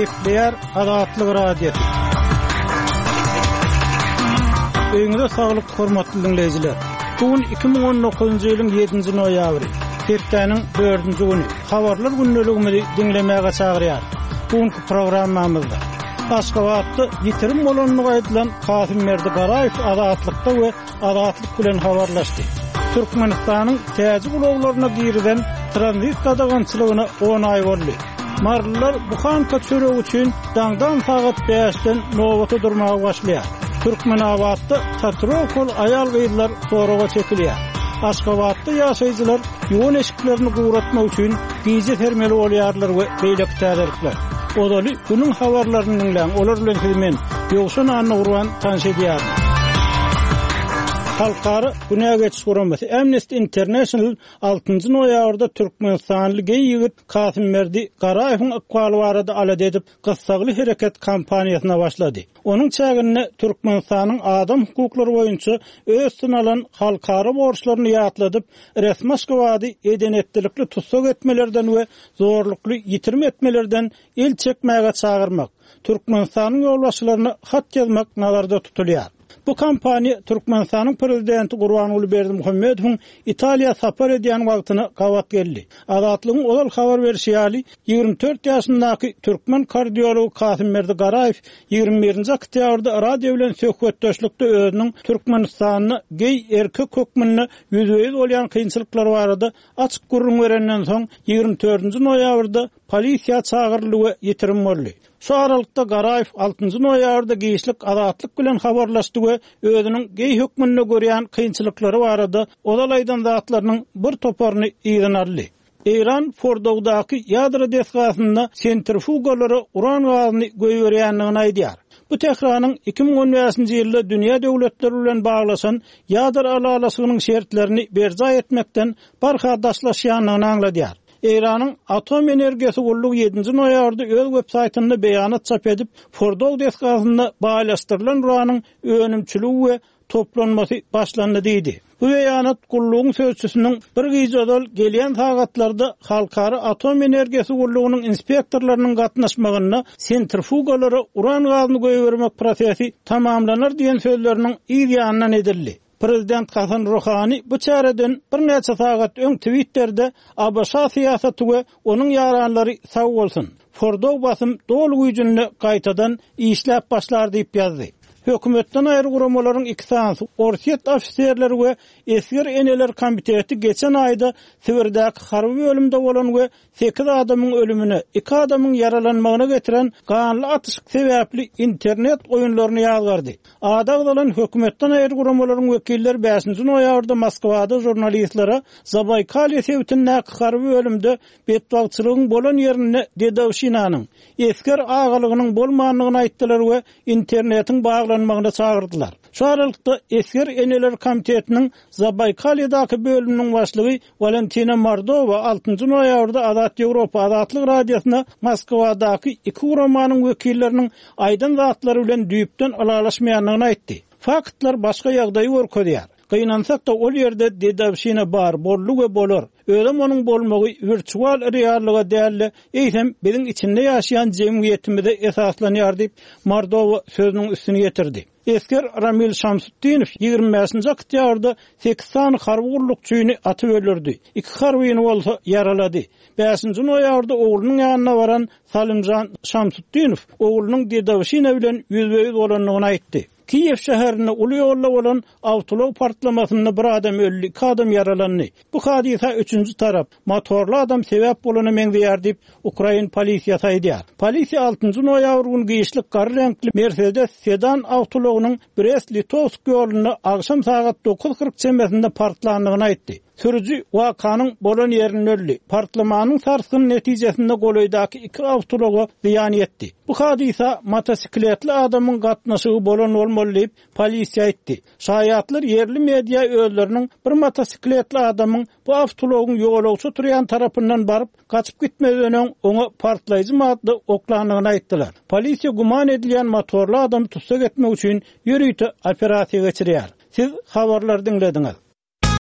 Gepleýär Azatlyk Radiosy. Öýüňize saglyk, hormatly diňleýjiler! Bu gün 2019-njy ýylyň ýedinji noýabry, hepdäniň dördünji güni. Habarlar gündeligimizi diňlemäge çagyrýar. Bu günki programmamyzda Aşgabatda ýitirim bolandygy aýdylan Kasymberdi Garaýew Azatlykda we Azatlyk bilen habarlaşdy. Türkmenistanyň täjik ulaglaryna girizen tranzit gadagançylygyna on aý boldy. Marylylar buhanka çöregi üçin daňdan sagat bäşden nobata durmaga başlaýar. Türkmenabatda tatuirowkaly aýal-gyzlar soraga çekilýär. Aşgabatda ýaşaýjylar ýuwan eşiklerini guratmak üçin gije sermeli bolýarlar we beýleki täzelikler. Ozaly günüň habarlaryny diňläň, olar bilen sizi men, Ýowşan Annagurban tanyş edýärin. Halkara günä geçiş guramasy Amnesty International altynjy noýabrda türkmenistanly geý ýigit Kasymberdi Garaýewiň ykbaly barada alada edip, gyssagly hereket kampaniýasyna başlady. Onuň çäginde Türkmenistanyň adam hukuklary boýunça öz üstüne alan halkara borçlaryny ýatladyp, resmi Aşgabady eden-etdilikli tussag etmelerden we zorlukly ýitirim etmelerden el çekmäge çagyrmak, Türkmenistanyň ýolbaşçylaryna hat ýazmak nazarda tutulýar. Bu kampaniýa Türkmenistanyň Prezidenti Gurbanguly Berdimuhamedowyň Italiýa sapar edýän wagtyna gabat geldi. Azatlygyň ozal habar berşi ýaly, 24 ýaşyndaky türkmen kardiology Kasymberdi Garaýew 21-nji oktýabrda radio bilen söhbetdeşlikde özüniň Türkmenistanda geý erkek hökmünde ýüzbe-ýüz bolýan kynçylyklary barada açyk gürrüň berenden soň, 24-nji noýabrda polisiýa çagyryldy we ýitirim boldy. Şu aralykda Garaýew altynjy noýabrda giçlik Azatlyk bilen habarlaşdy we özüniň geý hökmünde görýän kynçylyklary barada ozal aýdan zatlarynyň bir toparyny yzyna aldy. Eýran Fordowdaky ýadro desgasynda sentrifugalara uran gazyny goýberýändigini aýdýar. Bu Tähranyň 2015-nji ýylda dünýä döwletleri bilen baglaşan ýadro ylalaşygynyň şertlerini berjaý etmekden barha daşlaşýandygyny aňladýar. Eýranyň Atom energiýasy gullugy ýedinji noýabrda öz websaýtynda beýanat çap edip, Fordow desgasynda baýlaşdyrylan uranyň önümçiligi we toplanmasy başlandy diýdi. Bu beýanat gullugyň sözçüsiniň bir gije ozal gelýän sagatlarda Halkara atom energiýasy gullugynyň inspektorlarynyň gatnaşmagynda sentrifugalara uran gazyny goýbermek prosesi tamamlanar diýen sözleriniň yz ýanyndan edildi. Prezident Hasan Ruhani bu çäreden birnäçe sagat öň Twitterde ABŞ syýasaty we onuň ýaranlary sag bolsun, Fordow basym doly güýjünde gaýtadan işläp başlar diýip ýazdy. Hökümetden aýry guramalaryň iki sanysy, Orsýet ofiserleri we Esger eneler komiteti geçen aýda Sibirdäki harby bölümde bolan we sekiz adamyň ölümine, iki adamyň ýaralanmagyna getiren ganly atyşyk sebäpli internet oýunlaryny ýazgardy. Ady agzalan hökümetden aýry guramalaryň wekilleri bäşinji noýabrda Moskwada žurnalistlere Zabaýkalýe sebitindäki harby bölümde betbagtçylygyň bolan ýerinde dedowşinanyň, esger agalygynyň bolmandygyny aýtdylar we internetiň baglanmagyna çagyrdylar. Şu aralykda, Esger eneler komitetiniň Zabaýkalýedaky bölüminiň başlygy Walentina Mordowa altynjy noýabrda Azat Ýewropa Azatlyk Radiosyna Moskwadaky iki guramanyň wekilleriniň aýdan zatlary bilen düýpden ylalaşmaýandygyny aýtdy. Faktlar başga ýagdaýy görkezýär. Gynansak-da, ol ýerde dedowşina bar, boldy we bolar. Özem onuň bolmagy wirtual reallyga däl-de, eýsem, biziň içinde ýaşaýan jemgyýetimize esaslanýar diýip, Mordowa sözüniň üstüni ýetirdi. Esger Ramil Şamsutdinow 25-nji oktýabrda sekiz sany harby gullukçyny atyp öldürdi, iki harbyny bolsa ýaralady. Bäşinji noýabrda oglunyň ýanyna baran Salimjan Şamsutdinow oglunyň dedowşina bilen ýüzbe-ýüz bolandygyny aýtdy. Kiýew şäherinde uly ýolda bolan awtoulag partlamasynda bir adam öldi, iki adam ýaralandy. Bu hadysa üçünji tarap, motorly adam sebäp bolana meňzeýär diýip, ukrain polisiýasy aýdýar. Polisiýa altynjy noýabr güni giçlik gara reňkli Mersedes sedan awtoulagynyň Brest-Litowsk ýolunda agşam sagat 9:40 çemesinde partlandygyny aýtdy. Sürüji wakanyň bolan ýerinde öldi. Partlamanyň sarsgyny netijesinde golaýdaky iki awtoulaga zyýan ýetdi. Bu hadysa motosikletli adamyň gatnaşygy bolan bolmaly diýip, polisiýa aýtdy. Şaýatlar ýerli media özleriniň bir motosikletli adamyň bu awtoulagyň ýolagçy oturýan tarapyndan baryp, gaçyp gitmezden öň oňa partlaýjy madda oklandygyny aýtdylar. Polisiýa güman edilýän motorly adamy tussag etmek üçin ýörite operasiýa geçirýär. Siz habarlary diňlediňiz.